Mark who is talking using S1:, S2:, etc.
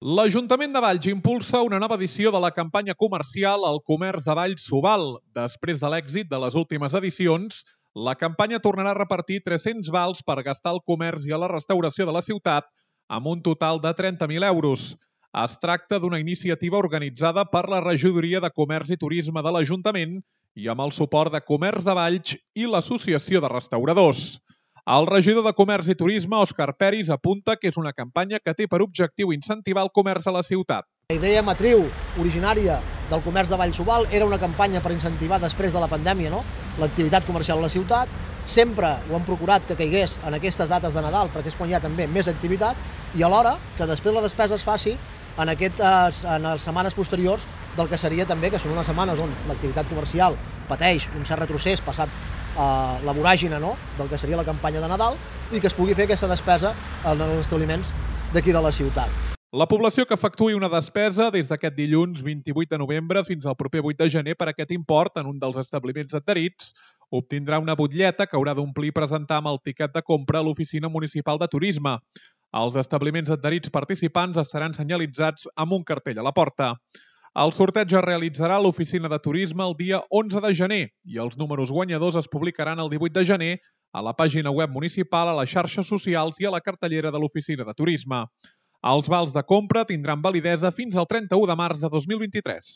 S1: L'Ajuntament de Valls impulsa una nova edició de la campanya comercial El comerç de Valls s'ho val. Després de l'èxit de les últimes edicions, la campanya tornarà a repartir 300 vals per gastar al comerç i a la restauració de la ciutat, amb un total de 30.000 euros. Es tracta d'una iniciativa organitzada per la Regidoria de Comerç i Turisme de l'Ajuntament i amb el suport de Comerç de Valls i l'Associació de Restauradors. El regidor de Comerç i Turisme, Òscar Peris, apunta que és una campanya que té per objectiu incentivar el comerç a la ciutat.
S2: La idea matriu originària del comerç de Valls s'ho val era una campanya per incentivar després de la pandèmia l'activitat comercial a la ciutat. Sempre ho hem procurat que caigués en aquestes dates de Nadal perquè és quan hi ha també més activitat i alhora que després la despesa es faci en les setmanes posteriors del que seria també, que són unes setmanes on l'activitat comercial pateix un cert retrocés passat la voràgine del que seria la campanya de Nadal i que es pugui fer aquesta despesa en els establiments d'aquí de la ciutat.
S1: La població que efectuï una despesa des d'aquest dilluns 28 de novembre fins al proper 8 de gener per aquest import en un dels establiments adherits obtindrà una butlleta que haurà d'omplir i presentar amb el tiquet de compra a l'Oficina Municipal de Turisme. Els establiments adherits participants estaran senyalitzats amb un cartell a la porta. El sorteig es realitzarà a l'Oficina de Turisme el dia 11 de gener i els números guanyadors es publicaran el 18 de gener a la pàgina web municipal, a les xarxes socials i a la cartellera de l'Oficina de Turisme. Els vals de compra tindran validesa fins al 31 de març de 2023.